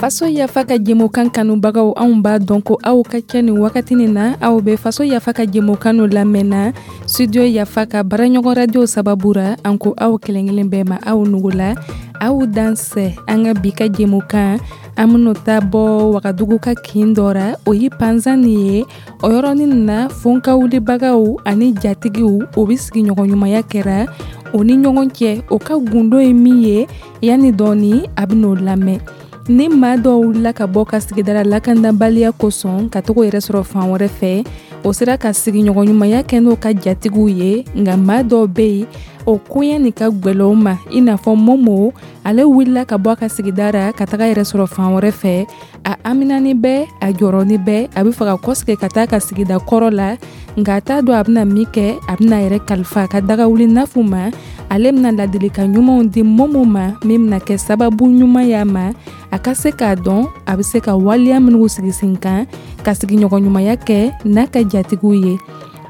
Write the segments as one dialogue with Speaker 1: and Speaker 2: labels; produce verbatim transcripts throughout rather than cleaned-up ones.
Speaker 1: Faso Yafa ka jɛmukan kanubagaw, anw b'a dɔn ko aw ka kɛ nin wagati nin na, aw bɛ Faso Yafa ka jɛmukan lamɛnna Studio Yafa ka baaraɲɔgɔn radio sababu ra. An ko aw kelen-kelen bɛɛ ma, aw nugula, aw dansɛ. An ka bi ka jɛmukan, an bɛn'o ta bɔ Wagadugu ka kin dɔ ra, o ye Panzani ye. O yɔrɔnin na, fonkawulibagaw ani jatigiw, o bɛ sigiɲɔgɔn ɲumanya kɛra o ni ɲɔgɔn cɛ. O ka gundo ye min ye, yanni dɔɔni a bɛn'o lamɛn. Ni maa dɔw wulila ka bɔ ka sigidara lakandabaliya kosɔn ka togo yɛrɛ sɔrɔ fan wɛrɛ fɛ, o sera ka sigiɲɔgɔn ɲumanya kɛ n'o ka jatigiw ye. Nka maa dɔw bɛ yen, o koɲɛ nin ka gwɛlɛ o ma, i n'a fɔ Momo. Ale wulila ka bɔ a ka sigida ra ka taga yɛrɛ sɔrɔ fan wɛrɛ fɛ. A aminani bɛ, a jɔrɔni bɛ, a bɛ fɛ ka kɔsegin ka taa ka sigida kɔrɔ la, nka a t'a dɔn a bɛna min kɛ. A bɛna yɛrɛ kalifa a ka dagawuli nafu ma. Ale bɛna ladilikan ɲumanw di Momo ma, min bɛna kɛ sababu ɲuman y'a ma, a ka se k'a dɔn a bɛ se ka waleya minnu sigi sen kan ka sigiɲɔgɔn ɲumanya kɛ n'a ka jatigiw ye.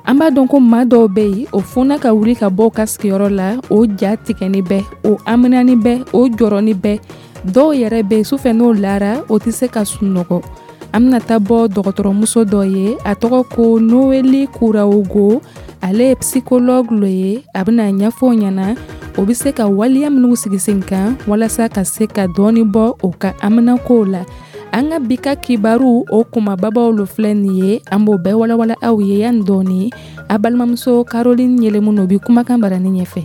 Speaker 1: An b'a dɔn ko maa dɔw bɛ yen, o funa ka wuli ka bɔ u ka sigiyɔrɔ la, o ja tigɛni bɛ, o aminani bɛ, o jɔrɔni bɛ. Dɔw yɛrɛ bɛ yen, sufɛ n'o lara, o tɛ se ka sunɔgɔ. An bɛna taa bɔ dɔgɔtɔrɔmuso dɔ ye, a tɔgɔ ko Noeli Kurawogo. Ale ye psychologue lo ye. A bɛna ɲɛfɔ o ɲɛna, o bɛ se ka waleya minnu sigi sen kan walasa ka se ka dɔɔni bɔ o ka haminakow la. An ka bi ka kibaru, o kumababaw lo filɛ nin ye. An b'o bɛɛ walawala aw ye yanni dɔɔni. A balimamuso Caroline Yɛlɛmu o bi kumakan barani ɲɛfɛ.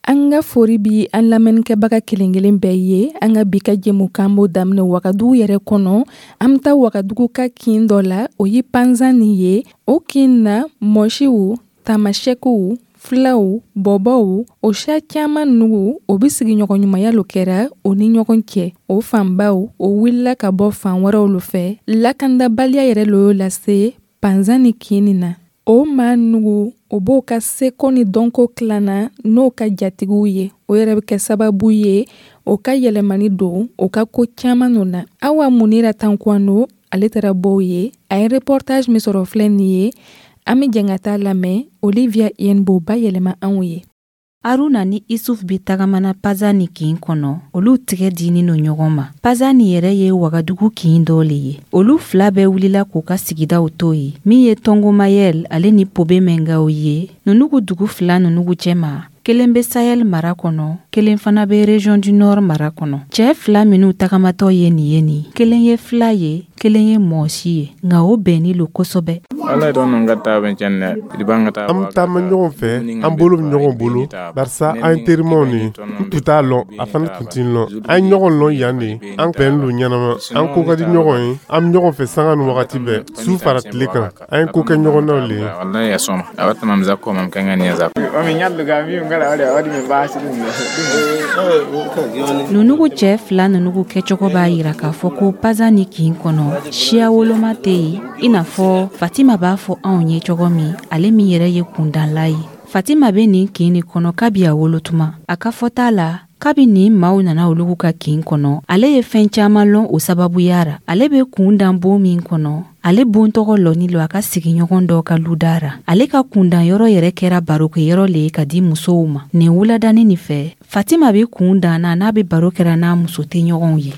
Speaker 1: An ka fori bi an lamɛnnikɛbaga kelen-kelen bɛɛ ye. An ka bi ka jɛmukan b'o daminɛ Wagadugu yɛrɛ kɔnɔ. An bɛ taa Wagadugu ka kin dɔ la, o ye Panzani ye. O kin na, mɔsiw, tamasɛkiw, filaw, bɔbɔw, o siya caman nugu, o bɛ sigiɲɔgɔn ɲumanya lo kɛra o ni ɲɔgɔn cɛ. O fanbaw, o wulila ka bɔ fan wɛrɛw lo fɛ. Lakandabaliya yɛrɛ lo y'o lase Panzani kin nin na. O maa nugu, o b'o ka seko ni dɔnko tilanna n'o ka jatigiw ye. O yɛrɛ bɛ kɛ sababu ye o ka yɛlɛmani don o ka ko caman nɔ na. Awa Munira Tankwano, ale taara bɔ ye, a ye reportage min sɔrɔ filɛ nin ye. An bɛ jɛn ka taa lamɛn. Olivia Yen b'o bayɛlɛma anw ye.
Speaker 2: Aruna ni Isuf bɛ tagamana Pazani kin kɔnɔ. Olu tigɛ dinin no ɲɔgɔn ma. Pazani yɛrɛ ye Wagadugu kin dɔ le ye. Olu fila bɛɛ wulila k'u ka sigidaw to yen, min ye Tɔngomayɛl ale ni Pobe Mɛngaw ye. Nunugu dugu fila nunugu cɛma, kelen bɛ Sahel mara kɔnɔ, kelen fana bɛ Région du Nord mara kɔnɔ. Cɛɛ fila minnu tagamatɔ ye nin ye nin, kelen ye fila ye, kelen ye mɔsi ye, nka o bɛnni lo kosɛbɛ.
Speaker 3: An bɛ taama ɲɔgɔn fɛ, an bolo bɛ ɲɔgɔn bolo, barisa an ye terimaw de ye. N tun t'a lɔn, a fana tun tɛ n lɔn. An ye ɲɔgɔn lɔn yan de, an bɛnnen don ɲɛnama, an ko ka di ɲɔgɔn ye, an bɛ ɲɔgɔn fɛ sanga ni wagati bɛɛ, su fara tile kan. An ye ko kɛ ɲɔgɔn na le ye.
Speaker 2: Nunugu cɛ fila nunugu kɛcogo b'a yira k'a fɔ ko Pazani kin kɔnɔ, siya woloma tɛ yen, i n'a fɔ Fatima b'a fɔ anw ye cogo min, ale min yɛrɛ ye kundanla ye. Fatima bɛ nin kin nin kɔnɔ kabi a wolotuma. A ka fɔta la, kabi nin maaw nana olugu ka kin kɔnɔ, ale ye fɛn caman lɔn o sababuya ra. Ale bɛ kundan bon min kɔnɔ, ale bon tɔgɔ lɔni lo a ka sigiɲɔgɔn dɔ ka luda ra. Ale ka kundan yɔrɔ yɛrɛ kɛra barokɛyɔrɔ le ye ka di musow ma. Nin wuladani nin fɛ, Fatima bɛ kun dan na n'a bɛ baro kɛra n'a muso tɛ ɲɔgɔnw ye.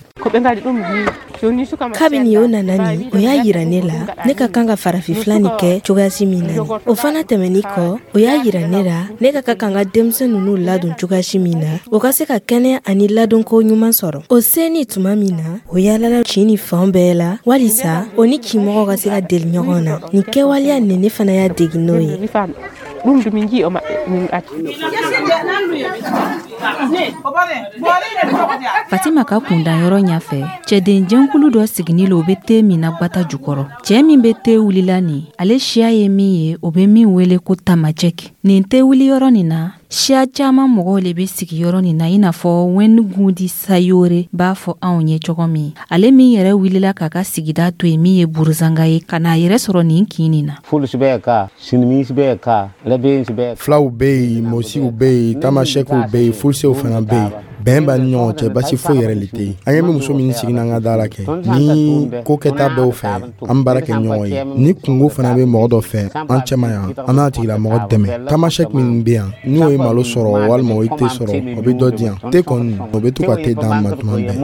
Speaker 4: Kabini o nana nin, o y'a yira ne la ne ka kan ka farafin nin kɛ cogoyasi min na. O fana tɛmɛnin kɔ, o y'a yira ne la ne ka ka kan ka denmisɛn ninnu ladon cogoyasi min na, o ka se ka kɛnɛya ani ladonko ɲuman sɔrɔ. O seni tuma min na, o yaalala kin ni fan bɛɛ la walisa o ni kinmɔgɔw ka se ka deli ɲɔgɔn na. Nin kɛwaleya nin, ne fana y'a degi n'o ye.
Speaker 5: Ɗum du min jii o maɓɓe min acci.
Speaker 2: Fatima ka kundanyɔrɔ ɲɛfɛ, cɛden jɛnkulu dɔ sigini lo, o bɛ te min na gwata jukɔrɔ. Cɛɛ min bɛ te wulila nin, ale siya ye min ye, o bɛ min wele ko tamajɛki. Nin te wuliyɔrɔ nin na, siya caaman mɔgɔw le be sigi yɔrɔ nin na, i n'a fɔ Wɛngundi Sayore b'a fɔ anw ye cogo min, ale min yɛrɛ wulila k'a ka sigida to yen, min ye Buruzanga ye, ka n'a yɛrɛ sɔrɔ nin kin nin na.
Speaker 6: Filaw bɛ yen, mɔsiw bɛ yen, tamasɛkiw bɛ yen, fulisew fana bɛ yen. Bɛn b'an ni ɲɔgɔn cɛ, basi foyi yɛrɛ le tɛ yen. An ɲɛ bɛ muso min sigi n'an ka da la kɛ ni ko kɛta bɛɛ fɛ, an baara kɛ ɲɔgɔn ye. Ni kungo fana bɛ mɔgɔ dɔ fɛ an cɛma yan, an n'a tigilamɔgɔ dɛmɛ. Tamasɛki min bɛ yan, n'o ye malo sɔrɔ walima o ye te sɔrɔ, o bɛ dɔ di yan. Te kɔni, o bɛ to ka te d'an ma tuma bɛɛ.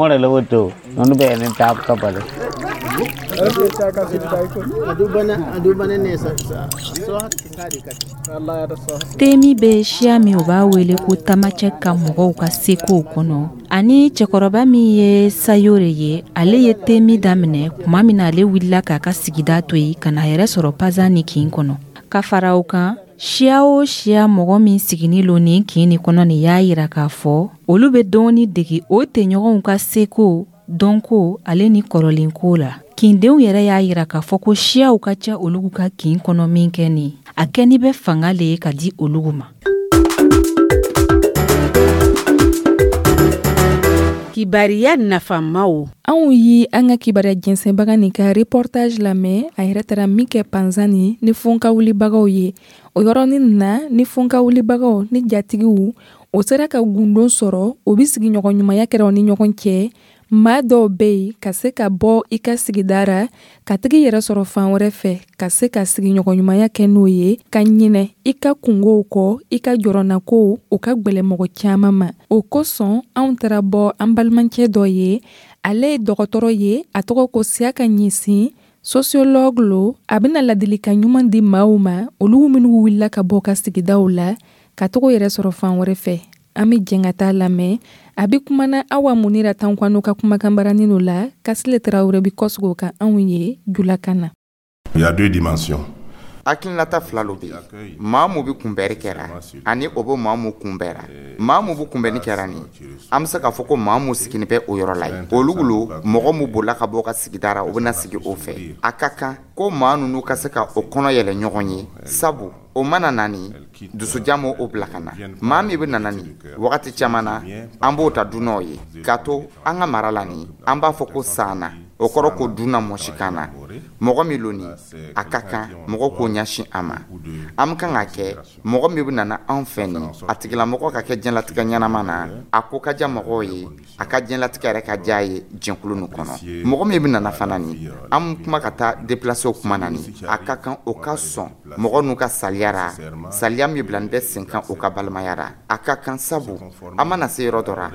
Speaker 2: Temi bɛ siya min, o b'a wele ko Tamacɛ ka mɔgɔw ka sekow kɔnɔ, ani cɛkɔrɔba min ye Sayore ye, ale ye temi daminɛ tuma min na ale wulila k'a ka sigida to yen ka na yɛrɛ sɔrɔ Pazani kin kɔnɔ. Ka fara o kan, siya o siya mɔgɔ min siginin lo nin kin nin kɔnɔ nin y'a yira k'a fɔ olu bɛ dɔɔni degi o tɛɲɔgɔnw ka seko, dɔnko ale ni kɔrɔlenko la. Kindenw yɛrɛ y'a yira k'a fɔ ko siyaw ka ca olu ka kin kɔnɔ min kɛ nin, a kɛni bɛ fanga le ye ka di olu ma.
Speaker 7: Kibariya nafamaw.
Speaker 1: Anw yi an ka kibaruya jɛnsɛnbaga nin ka reportage lamɛn, a yɛrɛ taara min kɛ Panzani ni fonka wulibagaw ye. O yɔrɔnin na, ni fonka wulibagaw ni jatigiw o sera ka gundon sɔrɔ, o bɛ sigiɲɔgɔn ɲumanya kɛra u ni ɲɔgɔn cɛ. Maa dɔw bɛ yen ka se ka bɔ i ka sigida ra ka tigi yɛrɛ sɔrɔ fan wɛrɛ fɛ, ka se ka sigiɲɔgɔn ɲumanya kɛ n'o ye, ka ɲinɛ i ka kungow kɔ, i ka jɔrɔnakow, o ka gwɛlɛ mɔgɔ caman ma. O kosɔn anw taara bɔ an balimacɛ dɔ ye, ale ye dɔgɔtɔrɔ ye, a tɔgɔ ko Siyaka Ɲɛsin, sociologue lo. A bɛna ladilikan ɲuman di maaw ma, olu minnu wulila ka bɔ ka sigidaw la ka togo yɛrɛ sɔrɔ fan wɛrɛ fɛ. An bɛ jɛn ka taa lamɛn. A bɛ kumana Awa Munira Tankwano ka kumakan baranin la, Kasile Tarawele bɛ kɔsegin o kan anw ye julakan na.
Speaker 8: Il y a deux dimensions.
Speaker 9: Hakilinata fila lo bɛ yen. Maa mun bɛ kunbɛnni kɛra ani o bɛ maa mun kunbɛnra. Maa mun bɛ kunbɛnni kɛra nin, an bɛ se k'a fɔ ko maa mun siginin bɛ o yɔrɔ la yen, olu lo mɔgɔ mun bolila ka bɔ ka sigida ra, o bɛna sigi o fɛ. A ka kan ko maa ninnu ka se ka o kɔnɔ yɛlɛ ɲɔgɔn ye, sabu o mana na nin dusujan m'o o bila ka na. Maa min bɛ nana nin wagati caman na, an b'o ta dunanw ye k'a to an ka mara la nin, an b'a fɔ ko sanna, o kɔrɔ ko dunan mɔsikan na. Mɔgɔ min lo nin, a ka kan mɔgɔ k'o ɲɛsin a ma. An bɛ kan ka kɛ mɔgɔ min bɛ nana anw fɛ nin, a tigilamɔgɔ ka kɛ diɲɛlatigɛ ɲɛnama na, a ko ka diya mɔgɔw ye, a ka diɲɛlatigɛ yɛrɛ ka diya ye jɛnkulu nin kɔnɔ. Mɔgɔ min bɛ nana fana nin, an bɛ kuma ka taa déplacer kuma na nin, a ka kan o ka sɔn mɔgɔ n'u ka saliya ra, saliya min bila bɛ sen kan o ka balimaya ra. A ka kan, sabu an mana se yɔrɔ dɔ ra,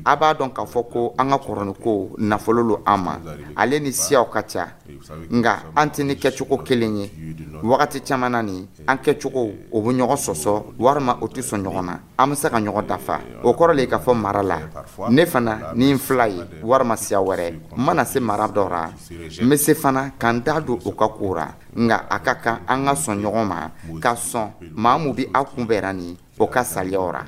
Speaker 9: a b'a dɔn k'a fɔ ko an ka kɔrɔniko nafolo lo an ma, ale ni siyaw ka ca, nka an tɛ ni kɛcogo kelen ye. Wagati caman na nin, an kɛcogo o bɛ ɲɔgɔn sɔsɔ walima o tɛ sɔn ɲɔgɔn na. An bɛ se ka ɲɔgɔn dafa. O kɔrɔ le k'a fɔ mara la, ne fana ni n fila ye walima siya wɛrɛ, n mana se mara dɔ ra, n bɛ se fana ka n da don o ka ko ra. Nka a ka kan an ka sɔn ɲɔgɔn ma, ka sɔn maa mun bɛ aw kunbɛnra nin, o ka saliyaw ra.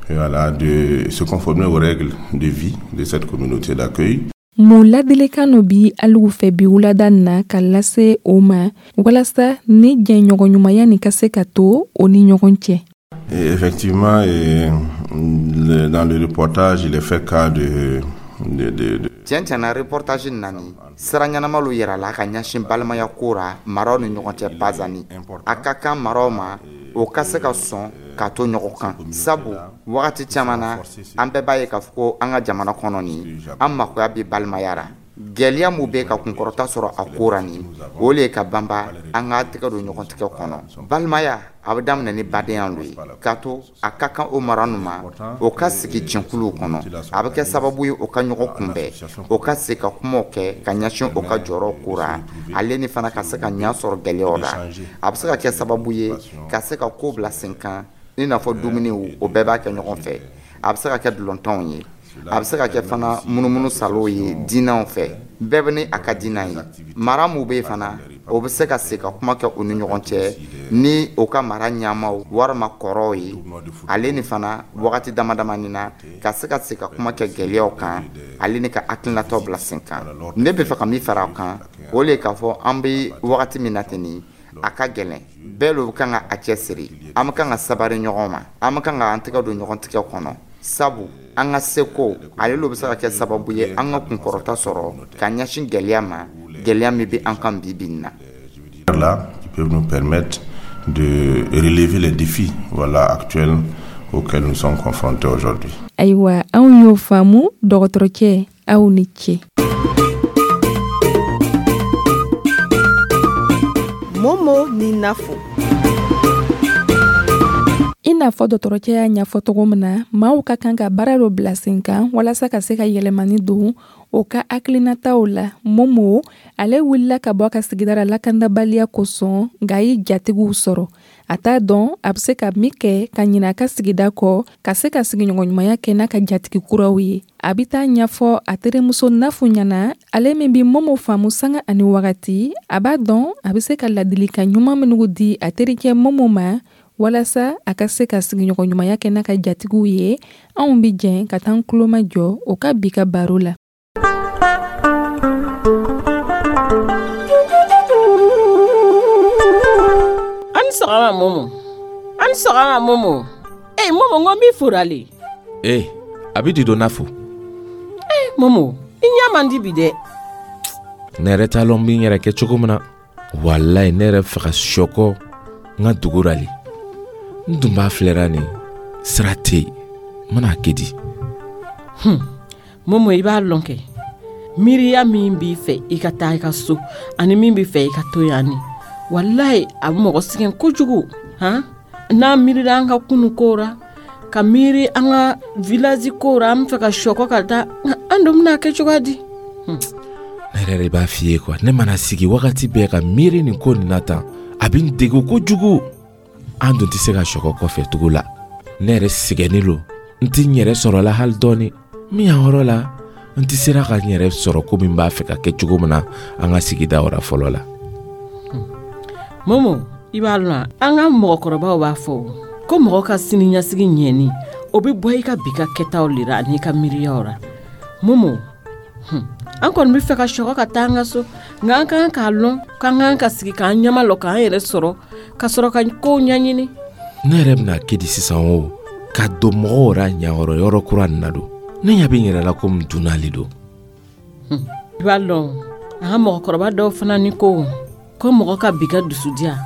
Speaker 8: Voilà, de se conformer aux règles de vie de cette communauté d'accueil.
Speaker 1: Mun ladilikan no bi aliw fɛ bi wulada na ka lase o ma walasa ni jɛɲɔgɔnɲumanya nin ka se ka to o ni ɲɔgɔn cɛ?
Speaker 8: Et effectivement, et, le, dans le reportage, il est fait cas de, de, de, de...
Speaker 9: Tiɲɛ tiɲɛna, reportage nani sira ɲɛnama lo yira la ka ɲɛsin balimaya ko ra maraw ni ɲɔgɔn cɛ Pazani. A ka kan maraw ma o ka se ka sɔn k'a to ɲɔgɔn kan, sabu wagati caman na an bɛɛ b'a ye k'a fɔ ko an ka jamana kɔnɔ nin, an makoya bɛ balimaya ra. Gɛlɛya mun bɛ ka kunkɔrɔta sɔrɔ a ko ra nin, o le ye ka banba an ka tɛgɛ don ɲɔgɔn tigɛ kɔnɔ. Balimaya a bɛ daminɛ ni badenya lo ye, k'a to a ka kan o mara ninnu ma o ka sigi jɛnkuluw kɔnɔ. A bɛ kɛ sababu ye o ka ɲɔgɔn kunbɛn, o ka se ka kumaw kɛ ka ɲɛsin o ka jɔyɔrɔ ko ra, ale ni fana ka se ka ɲɛ sɔrɔ gɛlɛyaw la. A bɛ se ka kɛ sababu ye ka se ka ko bila sen kan, i n'a fɔ dumuniw, o bɛɛ b'a kɛ ɲɔgɔn fɛ. A bɛ se ka kɛ dulɔntɔnw ye, a bɛ se ka kɛ fana munumunu salow ye diinɛw fɛ, bɛɛ bɛ ni a ka diinɛ ye. Mara mun bɛ yen fana, o bɛ se ka se ka kuma kɛ u ni ɲɔgɔn cɛ ni o ka mara ɲɛmaw walima kɔrɔw ye, ale ni fana wagati dama damani na ka se ka se ka kuma kɛ gɛlɛyaw kan, ale ni ka hakilinataw bila sen kan. Ne bɛ fɛ ka min fara o kan, o le ye k'a fɔ an bɛ wagati min na ten nin, a ka gɛlɛn, bɛɛ lo kan ka a cɛsiri. An bɛ kan ka sabari ɲɔgɔn ma, an bɛ kan ka an tɛgɛ don ɲɔgɔn tigɛ kɔnɔ, sabu an ka seko ale lo bɛ se ka kɛ sababu ye an ka kunkɔrɔta sɔrɔ ka ɲɛsin gɛlɛya ma, gɛlɛya min bɛ an kan bi bi in na.
Speaker 8: Là, qui peuvent nous permettre de relever les défis, voilà, actuels auxquelles nous sommes confrontés aujourd'hui.
Speaker 1: Ayiwa, anw y'o faamu, dɔgɔtɔrɔcɛ, aw ni ce.
Speaker 10: Momo ni Nafo.
Speaker 1: I n'a fɔ dɔgɔtɔrɔcɛ y'a ɲɛfɔ cogo min na, maaw ka kan ka baara dɔ bila sen kan walasa ka se ka yɛlɛmani don o ka hakilinataw la. Momo ale wulila ka bɔ a ka sigida la lakandabaliya kosɔn, nka a ye jatigiw sɔrɔ. A t'a dɔn a bɛ se ka min kɛ ka ɲinɛ a ka sigida kɔ, ka se ka sigiɲɔgɔnɲumanya kɛ n'a ka jatigi kuraw ye. A bɛ taa ɲɛfɔ a terimuso Nafu ɲɛna, ale min bɛ Momo faamu sanga ani wagati. A b'a dɔn a bɛ se ka ladilikan ɲuman minnu di a terikɛ Momo ma walasa a ka se ka sigiɲɔgɔnɲumanya kɛ n'a ka jatigiw ye. Anw bɛ jɛn ka taa an tulomajɔ o ka bi ka baro la.
Speaker 7: An sɔgɔma Momo, an sɔgɔma Momo. Ee Momo, n ko n b'i fora le.
Speaker 11: Ee, a bɛ di don Nafu.
Speaker 7: Ee Momo, i ɲɛ man di bi dɛ.
Speaker 11: Ne yɛrɛ t'a lɔn n bɛ n yɛrɛ kɛ cogo min na. Walayi, ne yɛrɛ fɛ ka sɔkɔ n ka dugu ra le. N dun b'a filɛra nin sira tɛ yen, n mana kɛ di?
Speaker 7: Hmm. Momo, i b'a lɔn kɛ miiriya min b'i fɛ i ka taa i ka so ani min b'i fɛ i ka to yan ni, walayi a bɛ mɔgɔ sɛgɛn kojugu. Han, n'an miirila an ka kunu ko ra, ka miiri an ka village ko ra, an bɛ fɛ ka sɔkɔ ka taa, an dun bɛna kɛ cogoya di?
Speaker 11: Hmm. Ne yɛrɛ de b'a f'i ye quoi, ne mana sigi wagati bɛɛ ka miiri nin ko nin na tan, a bɛ n degun kojugu. An dun tɛ se ka sɔkɔ kɔfɛ tugu la. Ne yɛrɛ sɛgɛnnen lo, n tɛ n yɛrɛ sɔrɔ la hali dɔɔni. Min y'an yɔrɔ la, n tɛ sera ka n yɛrɛ sɔrɔ komi n b'a fɛ ka kɛ cogo min na an ka sigida wɛrɛ fɔlɔ la.
Speaker 7: Momo, i b'a lɔn, an ka mɔgɔkɔrɔbaw b'a fɔ ko mɔgɔ ka siniɲɛsigi ɲɛni, o bɛ bɔ i ka bi ka kɛtaw le ra ani i ka miiriyaw ra. Momo, hmm. an kɔni bɛ fɛ ka sɔkɔ ka taa an ka so, nka an ka kan k'a lɔn k'an kan ka sigi k'an ɲɛma lɔ k'an yɛrɛ sɔrɔ ka sɔrɔ ka kow ɲɛɲini.
Speaker 11: Ne yɛrɛ bɛna kɛ di sisan o, ka don mɔgɔw ra ɲayɔrɔ yɔrɔ kura nin na don. Ne ɲɛ bɛ n yɛrɛ la komi dunan le don.
Speaker 7: I b'a lɔn, an ka mɔgɔkɔrɔba dɔw fana ni ko ko mɔgɔ ka bi ka dusudiya,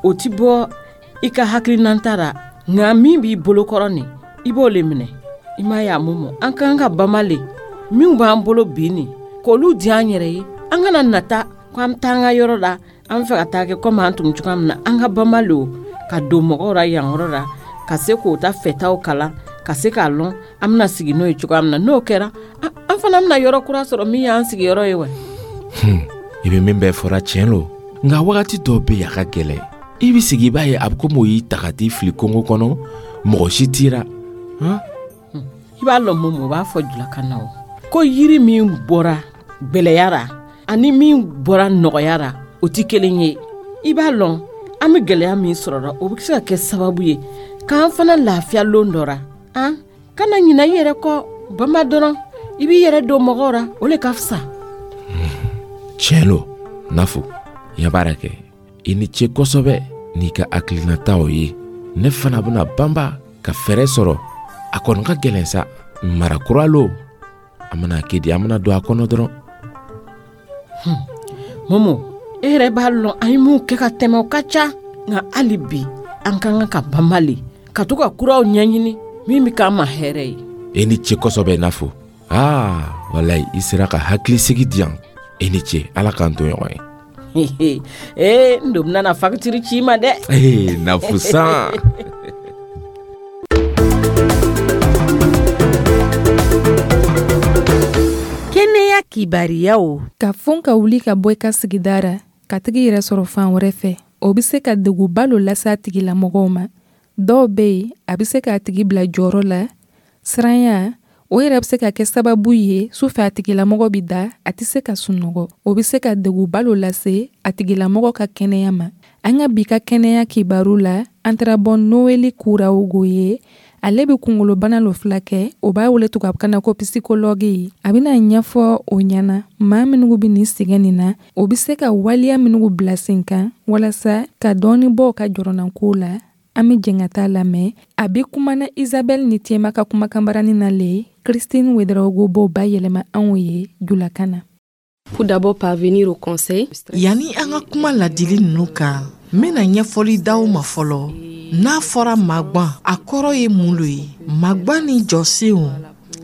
Speaker 7: o ti bɔ i ka hakilinanta ra, nka min b'i bolokɔrɔ nin, i b'o le minɛ. I m'a ye a Momo, an ka kan ka bama le minw b'an bolo bi nin, k'olu di an yɛrɛ ye. An kana nata ko an bɛ taa an ka yɔrɔ la, an bɛ fɛ ka taa kɛ komi an tun bɛ cogoya min na. An ka bama le o, ka don mɔgɔw ra yan yɔrɔ la, ka se k'o ta fɛtaw kalan, ka se k'a lɔn an bɛna sigi n'o ye cogoya min na. N'o kɛra, an fana bɛna yɔrɔ kura sɔrɔ min y'an sigiyɔrɔ ye wa.
Speaker 11: I bɛ min bɛɛ fɔra tiɲɛ lo, nka wagati dɔw bɛ yen a ka gɛlɛn. I bɛ sigi i b'a ye a bɛ komi o y'i ta ka t'i fili kungo kɔnɔ, mɔgɔ si t'i ra.
Speaker 7: I b'a lɔn Momo, o b'a fɔ julakan na o, ko yiri min bɔra gwɛlɛya ra ani min bɔra nɔgɔya ra, o tɛ kelen ye. I b'a lɔn, an bɛ gɛlɛya min sɔrɔ, o bɛ se ka kɛ sababu ye k'an fana lafiya lon dɔ ra. An kana ɲinɛ i yɛrɛ kɔ, bama dɔrɔn i b'i yɛrɛ don mɔgɔw ra, o le ka fisa.
Speaker 11: Tiɲɛ lo Nafu, i ya baara kɛ, i ni ce kosɛbɛ n'i ka hakilinataw ye. Ne fana bɛna banba ka fɛɛrɛ sɔrɔ. A kɔni ka gɛlɛn sa, mara kura lo, an bɛna kɛ di, an bɛna don a kɔnɔ dɔrɔn.
Speaker 7: Momo, e yɛrɛ b'a lɔn an ye mun kɛ ka tɛmɛ, o ka ca, nka hali bi an ka kan ka banba le, ka to ka kuraw ɲɛɲini min bɛ k'an ma hɛrɛ ye.
Speaker 11: E ni ce kosɛbɛ Nafu. Aa walayi, i sera ka hakilisigi di yan. E ni ce, Ala k'an to ɲɔgɔn ye.
Speaker 7: Ee, n don bɛna na fakitiri ci i ma dɛ.
Speaker 11: Ee Nafu san.
Speaker 7: Kɛnɛya kibariyaw.
Speaker 1: Ka fɔn ka wuli ka bɔ i ka sigida ra, ka tigi yɛrɛ sɔrɔ fan wɛrɛ fɛ, o bɛ se ka degunba lo lase a tigilamɔgɔw ma. Dɔw bɛ yen, a bɛ se k'a tigi bila jɔyɔrɔ la. Siranya, o yɛrɛ bɛ se ka kɛ sababu ye sufɛ a tigilamɔgɔ bɛ da, a tɛ se ka sunɔgɔ. O bɛ se ka degunba lo lase a tigilamɔgɔ ka kɛnɛya ma. An ka bi ka kɛnɛya kibaru la, an taara bɔ Noeli Kurawogo ye. Ale bɛ kunkolobana lo filakɛ, o b'a wele tubabukan na ko psychologue ye. A bɛna ɲɛfɔ o ɲɛna maa minnu bɛ nin sɛgɛn nin na, o bɛ se ka waleya minnu bila sen kan walasa ka dɔɔni bɔ o ka jɔrɔnanko la. An bɛ jɛn ka taa lamɛn. A bɛ kumana Isabelle ni Tema ka kumakanbarani na le, Christine Ouedraogo b'o bayɛlɛma anw ye julakan na.
Speaker 12: Pour d'abord parvenir au conseil.
Speaker 13: Yanni an ka kuma ladili ninnu kan, n bɛna ɲɛfɔli d'aw ma fɔlɔ. N'a fɔra magwan, a kɔrɔ ye mun lo ye? Magwan ni jɔsenw,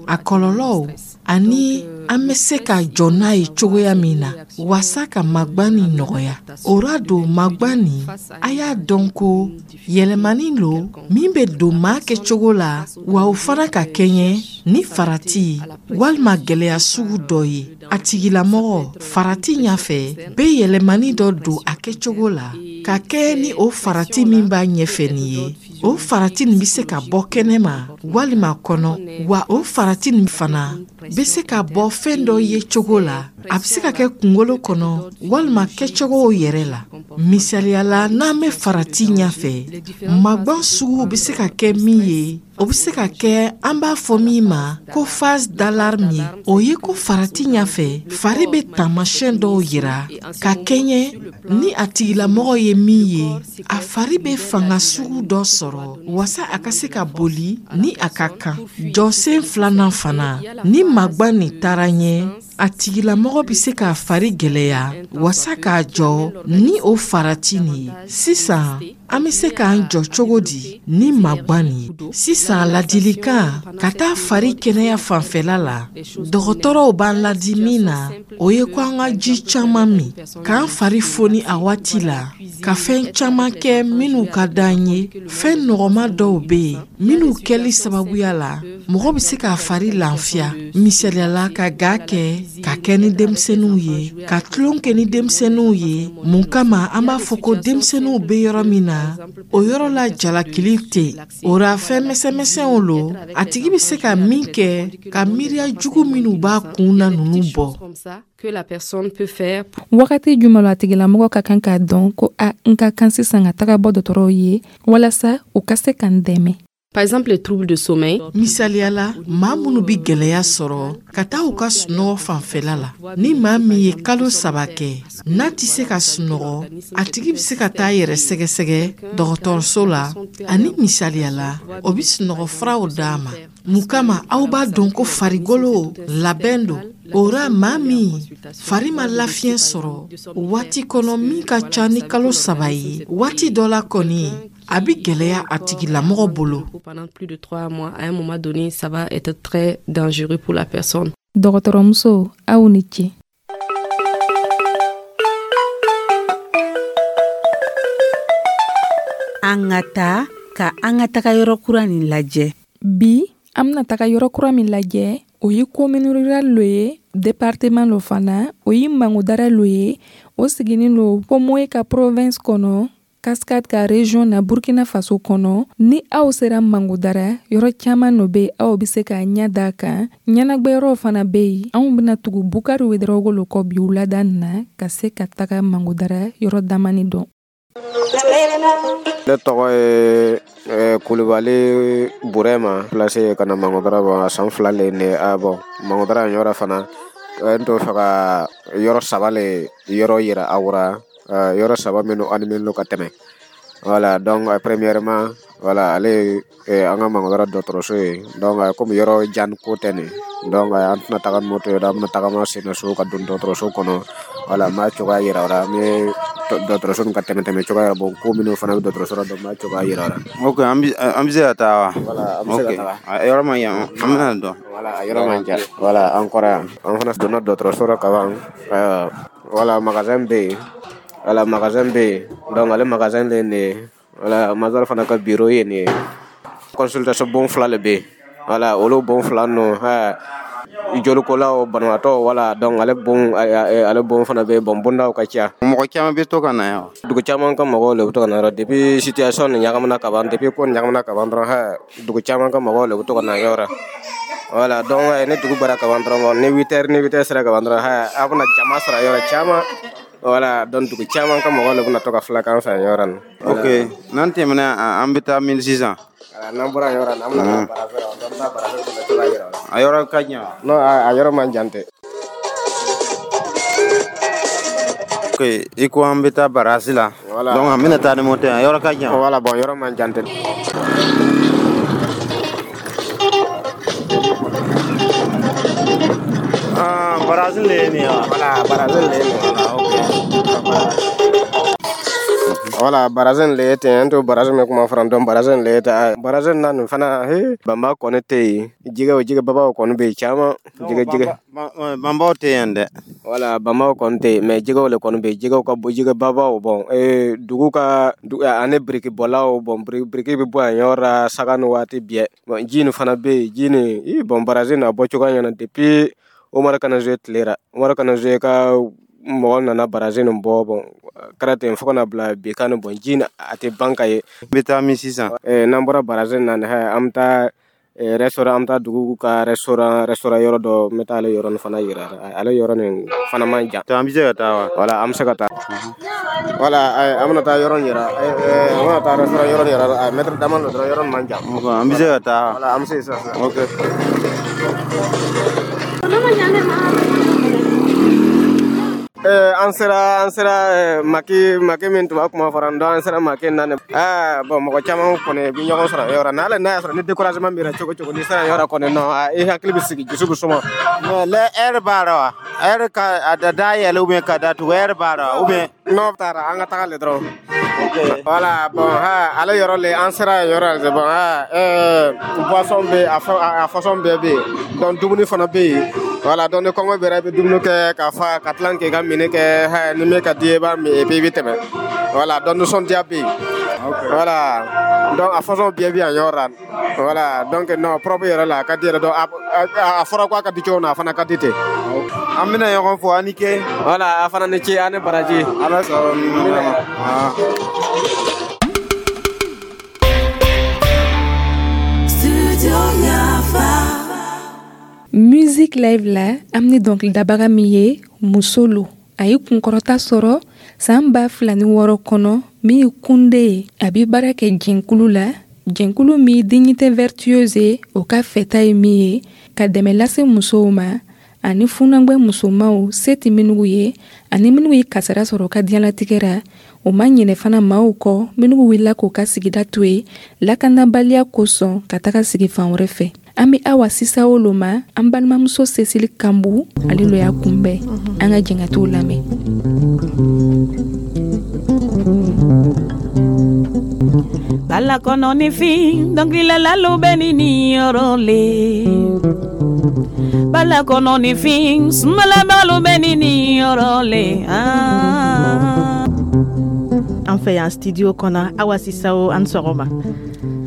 Speaker 13: a kɔlɔlɔw ani an bɛ se ka jɔ n'a ye cogoya min na wasa ka magwan nin nɔgɔya. O ra don magwan nin, a y'a dɔn ko yɛlɛmani lo min bɛ don maa kɛcogo la, wa o fana ka kɛɲɛ ni farati walima gwɛlɛya sugu dɔ ye. A tigilamɔgɔ farati ɲafɛ bɛ yɛlɛmani dɔ don a kɛcogo la ka kɛɲɛ ni o farati min b'a ɲɛfɛ nin ye. O farati nin bɛ se ka bɔ kɛnɛma walima kɔnɔ, wa o farati nin fana bɛ se ka bɔ fɛn dɔ ye cogo la. A bɛ se ka kɛ kunkolo kɔnɔ walima kɛcogow yɛrɛ la. Misaliya la, n'an bɛ farati ɲɛfɛ, magwan sugu bɛ se ka kɛ min ye, o bɛ se ka kɛ an b'a fɔ min ma ko phase d'alarme ye. O ye ko farati ɲɛfɛ, fari bɛ taamasiyɛn dɔw yira ka kɛɲɛ ni a tigilamɔgɔ ye min ye. A fari bɛ fanga sugu dɔ sɔrɔ wasa a ka se ka boli ni a ka kan. Jɔsen filanan fana, ni magwan nin taara ɲɛ, a tigilamɔgɔ bɛ se k'a fari gwɛlɛya wasa k'a jɔ ni o farati nin ye. Sisan an bɛ se k'an jɔ cogo di ni magwan nin ye? Sisan ladilikan ka taa fari kɛnɛya fanfɛla la, dɔgɔtɔrɔw b'an ladi min na, o ye ko an ka ji caman min, k'an fari foni a waati la, ka fɛn caman kɛ minnu ka d'an ye. Fɛn nɔgɔma dɔw bɛ yen minnu kɛli sababuya la mɔgɔ bɛ se k'a fari lafiya. Misaliya la, ka ga kɛ, ka kɛ ni denmisɛnninw ye, ka tulon kɛ ni denmisɛnninw ye. Mun kama an b'a fɔ ko denmisɛnninw bɛ yɔrɔ min na, o yɔrɔ la jalakili tɛ yen. O ra fɛn misɛnmisɛnw lo a tigi bɛ se ka min kɛ ka miiriya jugu minnu b'a kun na ninnu bɔ.
Speaker 1: Wagati jumɛn la a tigilamɔgɔ ka kan k'a dɔn ko a n ka kan sisan ka taga bɔ dɔgɔtɔrɔw ye walasa u ka se ka n dɛmɛ?
Speaker 12: Par exemple, les troubles de sommeil.
Speaker 13: Misaliya la, maa minnu bɛ gwɛlɛya sɔrɔ ka taa u ka sunɔgɔ fanfɛla la, ni maa min ye kalo saba kɛ n'a tɛ se ka sunɔgɔ, a tigi bɛ se ka taa yɛrɛ sɛgɛsɛgɛ dɔgɔtɔrɔso la, ani misaliya la, o bɛ sunɔgɔ furaw d'a ma. Mun kama aw b'a dɔn ko farikolo labɛn don. O ra maa min fari ma lafiɲɛ sɔrɔ waati kɔnɔ min ka ca ni kalo saba ye, waati dɔ la kɔni a bɛ gwɛlɛya a tigilamɔgɔ bolo.
Speaker 12: Pendant plus de trois mois, à un moment donné, ça va être très dangereux pour la personne.
Speaker 1: Dɔgɔtɔrɔmuso, aw ni ce.
Speaker 14: An ka taa ka an ka taga yɔrɔ kura nin lajɛ.
Speaker 1: Bi an bɛna taga yɔrɔ kura min lajɛ, o ye commune rurale lo ye, département lo fana, o ye Mangodara lo ye. O siginin lo Comoé ka province kɔnɔ, Cascade ka région na, Burkina Faso kɔnɔ. Ni aw sera Mangodara, yɔrɔ caman no bɛ aw bɛ se k'a ɲɛ da kan. Ɲɛnagwɛyɔrɔw fana bɛ yen. Anw bɛna tugu Bukari Wedarawogo lo kɔ bi wulada nin na ka se ka taga Mangodara yɔrɔ damani dɔn.
Speaker 15: Ne tɔgɔ ye Kulubali Burema, place ka na Mangodara bɔ san fila le ne a bɔ Mangodara yɔrɔ fana. N t'o fɛ ka yɔrɔ saba le yɔrɔ yira aw ra, yɔrɔ saba minnu animé ka tɛmɛ. Voilà, donc premièrement, voilà, ale an ka Mangodara dɔgɔtɔrɔso ye. Donc comme yɔrɔ jan ko tɛ nin, donc an tɛna taga ni moto ye, an bɛna tagama sen na so ka don dɔgɔtɔrɔso kɔnɔ. Voilà, n b'a cogoya yira aw la, n bɛ dɔgɔtɔrɔso nin ka tɛmɛ tɛmɛ cogoya yira, bon ko minnu fana bɛ dɔgɔtɔrɔso la, donc n b'a cogoya yira aw la.
Speaker 16: Ok, an bɛ an bɛ se ka taa wa?
Speaker 15: Voilà, an bɛ se ka taga.
Speaker 16: A yɔrɔ man jan, an bɛna dɔn.
Speaker 15: Voilà, a yɔrɔ man jan. Voilà, an kɔrɔ yan. An fana donna dɔgɔtɔrɔso la kaban. Voilà, magasin bɛ yen. Voilà, magasin bɛ yen. Donc ale magasin de ye nin ye. Voilà, major fana ka bureau ye nin ye. Consultation bon fila le bɛ yen. Voilà, olu bon fila ninnu, jolikolaw, banabaatɔ, voilà, donc ale bon ale bon fana bɛ yen. Bon bondaw ka ca.
Speaker 16: Mɔgɔ caman bɛ to ka na yan.
Speaker 15: Dugu caman ka mɔgɔw le bɛ to ka na yɔrɔ. Depuis situation nin ɲagamina ka ban, depuis ko nin ɲagamina ka ban dɔrɔn, dugu caman ka mɔgɔw le bɛ to ka na yɔrɔ. Voilà, donc ni dugu bɔra ka ban dɔrɔn, ni huit heures ni huit heures sera ka ban dɔrɔn, a bɛna jama sɔrɔ yɔrɔ caman. Voilà, donc dugu caman ka mɔgɔw le bɛna to ka filakan fɛ yɔrɔ nin.
Speaker 16: Ok, n'an tɛmɛna an bɛ taa min sisan?
Speaker 15: N'an bɔra yɔrɔ la, an bɛna taa barafɛ la, an bɛ taa barafɛ kɔnɔ cogoya yira.
Speaker 16: A yɔrɔ ka jan?
Speaker 15: Non, a yɔrɔ man jan tɛ.
Speaker 16: Ok, i ko an bɛ taa barasi la.
Speaker 15: Voilà.
Speaker 16: Donc an bɛna taa ni moto ye, a yɔrɔ ka jan.
Speaker 15: Voilà, bon yɔrɔ man jan tɛ.
Speaker 16: Ah, barasi le ye nin ye wa?
Speaker 15: Voilà, barasi le ye nin ye.
Speaker 16: Voilà, ok.
Speaker 15: Voilà, barrage nin le ye ten, n to barrage min kuma fɔra, donc barrage nin le ye ten. Barrage nin na nin fana, he, banba kɔni tɛ yen. Jɛgɛw, jɛgɛ babaw kɔni bɛ yen caman. Jɛgɛ jɛgɛ
Speaker 16: banbaw tɛ yan dɛ.
Speaker 15: Voilà, banbaw kɔni tɛ yen, mais jɛgɛw le kɔni bɛ yen. Jɛgɛw ka bon, jɛgɛ babaw. Bon, ee, dugu ka ani biriki bɔlaw. Bon, biriki bɛ bɔ yan yɔrɔ la saga ni waati bɛɛ. Bon, ji nin fana bɛ yen, ji nin i. Bon, barrage nin a bɔ cogoya ɲɛna depuis Umar Kanazoe tile ra. Umar Kanazoe ka mɔgɔ nana barrage nin bɔ. Bon, kɛra ten fo ka na bila bi kan. Bon, ji a tɛ ban ka ye.
Speaker 16: N bɛ taa min sisan?
Speaker 15: N'an bɔra barrage nin na, an bɛ taa restaurant, an bɛ taa dugu ka restaurant restaurant yɔrɔ dɔ. N bɛ taa ale yɔrɔ nin fana yira, ale yɔrɔ nin fana man jan.
Speaker 16: An bɛ se ka taa wa?
Speaker 15: Voilà, an bɛ se ka taa. Voilà, an bɛna taa yɔrɔ nin yira, an bɛna taa restaurant yɔrɔ nin yira, mètre dama dɔ dɔrɔn, yɔrɔ nin man jan.
Speaker 16: An bɛ se ka taa?
Speaker 15: Voilà, an bɛ se sisan sisan.
Speaker 16: Ok.
Speaker 15: An sera an sera maki maki min tun b'a kuma fɔra n dɔn, an sera maki na nin. Bon, mɔgɔ caman kɔni bi ɲɔgɔn sɔrɔ yɔrɔ n'ale n'a y'a sɔrɔ ni découragement b'i la cogo cogo, n'i sera yɔrɔ kɔni nɔ, i hakili bɛ sigi, dusu bɛ suma.
Speaker 16: Mais le heure b'a la wa? Heure ka a da dayɛlɛ ou bien ka datugu, heure b'a la ou bien?
Speaker 15: N'o taara, an ka taga le dɔrɔn. Voilà, bon, ha, ale yɔrɔ le, an sera yen yɔrɔ le. Bon, ha, ɛɛ boisson bɛ yen, a façon bɛɛ bɛ yen. Donc dumuni fana bɛ yen. Voilà, donc ni kɔngɔ b'i la, i bɛ dumuni kɛ ka fa ka tila k'i ka minni kɛ. Ni min ka di ye, i b'a min et puis i bɛ tɛmɛ. Voilà, donc nisɔndiya bɛ yen. Voilà, donc a façon bɛɛ bɛ yan yɔrɔ la. Voilà, donc non, propre yɛrɛ la, a ka di yɛrɛ. Donc a fɔra ko a ka di cogo min na, a fana ka di ten.
Speaker 16: An bɛna ɲɔgɔn fo, a ni ke.
Speaker 15: Voilà, a fana ni ce, a ni baraji.
Speaker 16: Ala sɔrɔ ma.
Speaker 1: Music Live la, an ni dɔnkilidabaga min ye muso lo, a ye kunkɔrɔta sɔrɔ san ba fila ni wɔɔrɔ kɔnɔ, min ye kunde ye. A bɛ baara kɛ jɛnkulu la, jɛnkulu min Dignité Vertueuse ye, o ka fɛta ye min ye ka dɛmɛ lase musow ma ani funangbɛ musomaw se tɛ minnu ye ani minnu ye kasara sɔrɔ ka diɲɛlatigɛ ra. O ma ɲinɛ fana maaw kɔ minnu wulila k'u ka sigida to yen lakanabaliya kosɔn ka taga sigi fan wɛrɛ fɛ. An bɛ Awa Sisawo lo ma, an balimamuso Cécile Kanbu, ale lo y'a kunbɛn. An ka jɛn ka t'o lamɛn.
Speaker 7: Bala kɔnɔ ni fin dɔnkililalalu bɛ ni nin yɔrɔ le. Bala kɔnɔ ni fin sumalabalu bɛ ni nin yɔrɔ le.
Speaker 10: An fɛ yan studio kɔnɔ, Awa Sisawo, an sɔgɔma.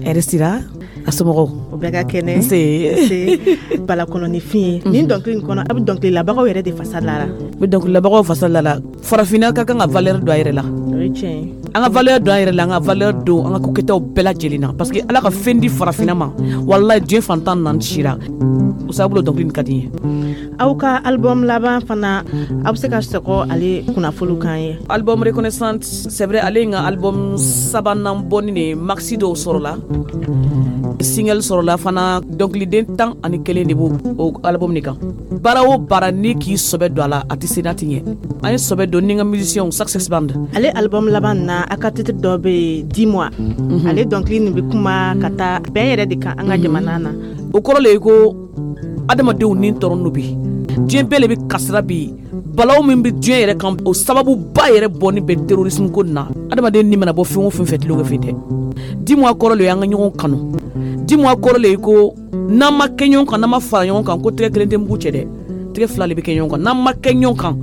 Speaker 7: Hɛrɛ sira, a somɔgɔw?
Speaker 10: O bɛɛ ka kɛnɛ.
Speaker 7: Nse.
Speaker 10: Bala kɔnɔ ni fin ye nin dɔnkili in kɔnɔ, a bɛ dɔnkililabagaw yɛrɛ de fasa lara.
Speaker 7: N bɛ dɔnkililabagaw fasa lara. Farafinna ka kan ka valeur don a yɛrɛ la.
Speaker 10: O ye tiɲɛ ye.
Speaker 7: An ka valeur don an yɛrɛ la, an ka valeur don an ka kokɛtaw bɛɛ lajɛlen na, parce que Ala ka fɛn di farafinna ma, walayi diɲɛ fantan naani sira o sababu la dɔnkili nin ka di n ye.
Speaker 10: Aw ka album laban fana, aw bɛ se ka sɔgɔ ale kunnafoniw kan ye?
Speaker 7: Album Reconnaissante, c'est vrai, ale ye n ka album sabanan bɔni de ye. Maxi dɔw sɔrɔla, single sɔrɔla fana, dɔnkiliden tan ani kelen de b'o o album de kan. Baara o baara, n'i k'i sɔbɛ don a la, a tɛ se n'a tɛ ɲɛ. An ye sɔbɛ don ni n ka musiciens, Success Band.
Speaker 10: Ale album laban na, a ka titre dɔ bɛ yen, Dis-moi. Ale dɔnkili nin bɛ kuma ka taa bɛn yɛrɛ de kan an ka jamana na.
Speaker 7: O kɔrɔ le ye ko adamadenw ni tɔɔrɔ no bi, diɲɛ bɛɛ le bɛ kasira bi. Balawu min bɛ diɲɛ yɛrɛ kan, o sababuba yɛrɛ bɔni bɛ terrorisme ko nin na. Adamaden ni mana bɔ fɛn o fɛn fɛ, tulonkɛ fɛn tɛ. Dis-moi kɔrɔ le ye an ka ɲɔgɔn kanu. Dis-moi kɔrɔ le ye ko n'an ma kɛ ɲɔgɔn kan, n'an ma fara ɲɔgɔn kan, ko tɛgɛ kelen tɛ mugu cɛ dɛ, tɛgɛ fila de bɛ kɛ ɲɔgɔn kan. N'an ma kɛ ɲɔgɔn kan,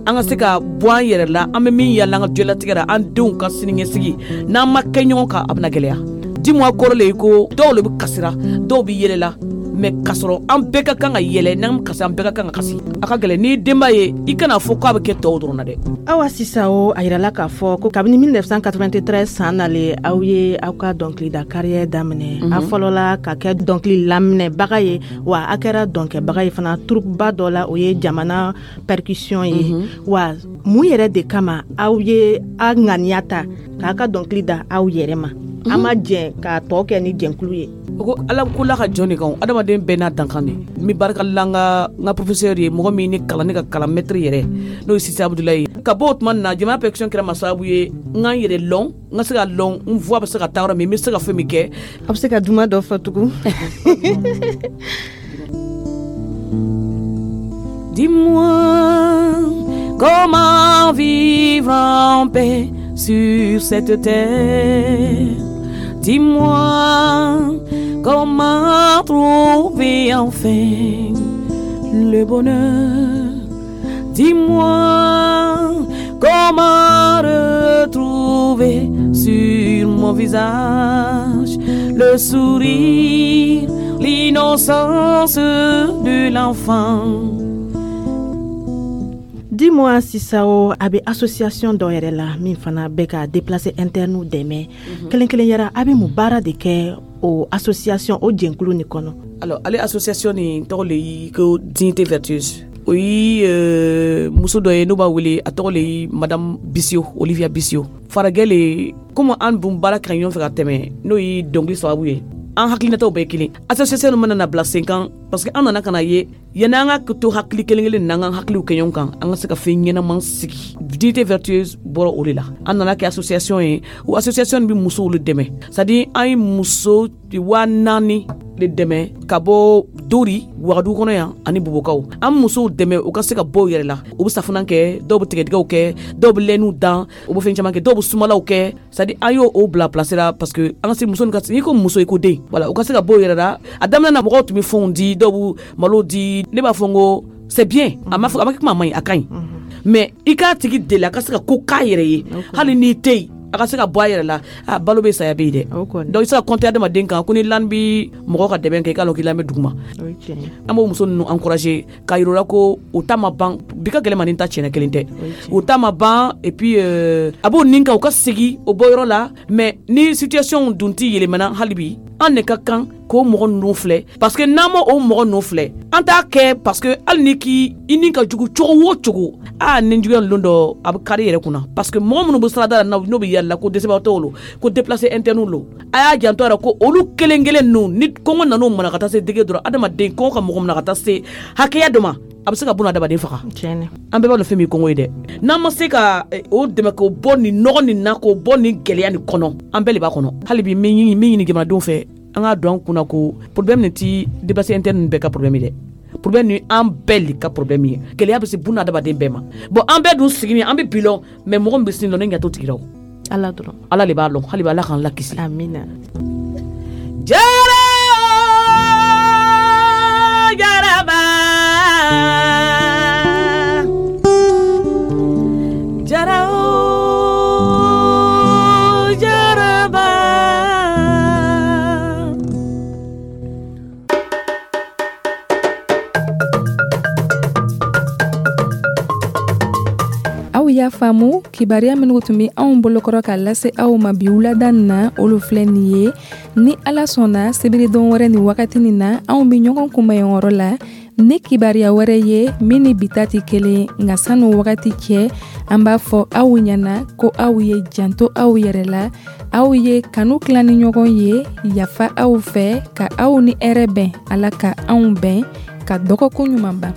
Speaker 7: an ka se ka bɔ an yɛrɛ la, an bɛ min yala an ka diɲɛlatigɛ la, an denw ka siniɲɛsigi, n'an ma kɛ ɲɔgɔn kan, a bɛna gɛlɛya. Dis-moi kɔrɔ le ye ko dɔw le bɛ kasira, dɔw bɛ yɛlɛ la, mais k'a sɔrɔ an bɛɛ ka kan ka yɛlɛ, n'an kasi, an bɛɛ ka kan ka kasi. A ka gɛlɛn, n'i denba ye, i kana fɔ k'a bɛ kɛ tɔw dɔrɔn na dɛ.
Speaker 10: Awa Sisawo, a yirala k'a fɔ ko kabini mille neuf cent quatre-vingt-treize san nalen, aw ye aw ka dɔnkilida carrière daminɛ. A fɔlɔla ka kɛ dɔnkili laminɛbaga ye, wa a kɛra dɔnkɛbaga ye fana troupe ba dɔ la, o ye jamana percussion ye. Wa mun yɛrɛ de kama aw ye a ŋaniya ta k'a ka dɔnkili da aw yɛrɛ ma, an ma jɛn k'a tɔ kɛ ni jɛnkulu ye?
Speaker 7: O ko Ala ko la ka jɔn de kan, adamaden bɛɛ n'a dankan de. N bɛ barika la n ka n ka professeur ye, mɔgɔ min ne kalan, ne ka kalan maître yɛrɛ, n'o ye Sise Abudulayi ye. Ka bɔ o tuma na, jamana percussion kɛra ma sababu ye n ka n yɛrɛ lɔn, n ka se ka lɔn n voix bɛ se ka taa yɔrɔ min, n bɛ se ka fɛn min kɛ.
Speaker 10: A bɛ se ka duman dɔ fɔ tugun?
Speaker 7: Dis-moi comment vivre en paix sur cette terre. Dis-moi comment trouver enfin le bonheur. Dis-moi comment retrouver sur mon visage le sourire, l'innocence de l'enfant.
Speaker 10: Dis-moi Sisao, a bɛ association dɔ yɛrɛ la min fana bɛ ka déplacé interne dɛmɛ kelen kelen yɛrɛ, a bɛ mun baara de kɛ o association, o jɛnkulu nin kɔnɔ?
Speaker 7: Alors, ale association nin tɔgɔ le ye ko Dignité Vertueuse. O ye euh, muso dɔ ye n'o b'a wele, a tɔgɔ le ye Madame Bissio, Olivia Bissio. Faragɛ le, komi an dun baara kɛ ɲɔgɔn fɛ ka tɛmɛ, n'o ye dɔnkili sababu ye, an hakilinataw bɛɛ kelen. Association nin mana na bila sen kan, parce que an nana ka na ye, yanni an ka to hakili kelen kelen n'an ka hakiliw kɛ ɲɔgɔn kan, an ka se ka fɛn ɲɛnaman sigi. Dignité Vertueuse bɔra o de la. An nana kɛ association ye. O association bɛ musow le dɛmɛ, c'est à dire an ye muso waa naani de dɛmɛ ka bɔ Dori, Wagadugu kɔnɔ yan ani Bobokaw. An musow dɛmɛ u ka se ka bɔ u yɛrɛ la. U bɛ safunɛ kɛ, dɔw bɛ tigɛdɛgɛw kɛ, dɔw bɛ lɛniw dan, u bɛ fɛn caman kɛ, dɔw bɛ sumalaw kɛ. C'est à dire an y'o o bila place la, parce que an ka se muso ka, n'i ko muso, i ko den. Voilà, u ka se ka bɔ u yɛrɛ la. A daminɛ na, mɔgɔw tun bɛ fɛnw di, dɔw bɛ malo di. Ne b'a fɔ n ko c'est bien, a ma fɔ a ma kɛ kuma, a ma ɲi, a ka ɲi, mais i k'a tigi deli a ka se ka ko k'a yɛrɛ ye, hali n'i tɛ yen, a ka se ka bɔ a yɛrɛ la. A balo bɛ, saya bɛ yen dɛ. Donc i se ka compter adamaden kan ko ni lan bi mɔgɔ ka dɛmɛ kɛ, i k'a lɔn k'i lan bɛ duguma. An b'o muso ninnu encourager k'a yir'u la ko o ta ma ban. Bi ka gɛlɛn ma, ni ta tiɲɛna kelen tɛ, o ta ma ban. Et puis euh, a b'o nin kan u ka segin o bɔ yɔrɔ la. Mais ni situation dun ti yɛlɛmana, hali bi an de ka kan k'o mɔgɔ ninnu filɛ, parce que n'an ma o mɔgɔ ninnu filɛ, an t'a kɛ, parce que hali ni k'i i ni ka jugu cogo o cogo, a ni juguya lon dɔ a bɛ kari yɛrɛ kunna, parce que mɔgɔ minnu bɛ sirada la, n'o bɛ yɛlɛ ko dɛsɛbagatɔw lo, ko déplacé interne lo, a y'a janto a la ko olu kelen kelen ninnu, ni kɔngɔ nan'o mana ka taa se dege dɔrɔn, adamaden kɔngɔ ka mɔgɔ minɛ ka taa se hakɛya dɔ ma, a bɛ se ka buna adamaden faga. An bɛɛ b'a dɔn fɛn min kɔngɔ ye dɛ. N'an ma se ka o dɛmɛ k'o bɔ nin nɔgɔ nin na, k'o bɔ nin gɛlɛya nin kɔnɔ, an bɛɛ de b'a kɔnɔ. Hali bi min ɲini jamanadenw fɛ, an k'a don an kunna ko problème nin ti déplacé interne bɛɛ ka problème ye dɛ. Problème ni an bɛɛ le ka problème ye. Gɛlɛya bɛ se buna adamaden bɛɛ ma. Bon, an bɛɛ dun sigini, an bɛ bi lɔn, mais mɔgɔ min bɛ sini lɔn, ne ɲɛ t'o tigi la. O
Speaker 10: Ala dɔrɔn.
Speaker 7: Ala de b'a lɔn. Hali bi Ala k'an lakisi.
Speaker 10: Amina.
Speaker 7: Jara jaraba, jara o jaraba.
Speaker 1: Aw y'a faamu, kibaruya minnu tun bɛ anw bolokɔrɔ ka lase aw ma bi wulada nin na, olu filɛ nin ye. Ni Ala sɔnna, sibiridon wɛrɛ ni wagati nin na, anw bɛ ɲɔgɔn kunbɛn yɔrɔ la ni kibaruya wɛrɛ ye min ni bi ta tɛ kelen. Nka sanu wagati cɛ, an b'a fɔ aw ɲɛna ko aw ye janto aw yɛrɛ la, aw ye kanu tila ni ɲɔgɔn ye, yafa aw fɛ, ka aw ni hɛrɛ bɛn. Ala ka anw bɛn ka dɔgɔkun ɲuman ban.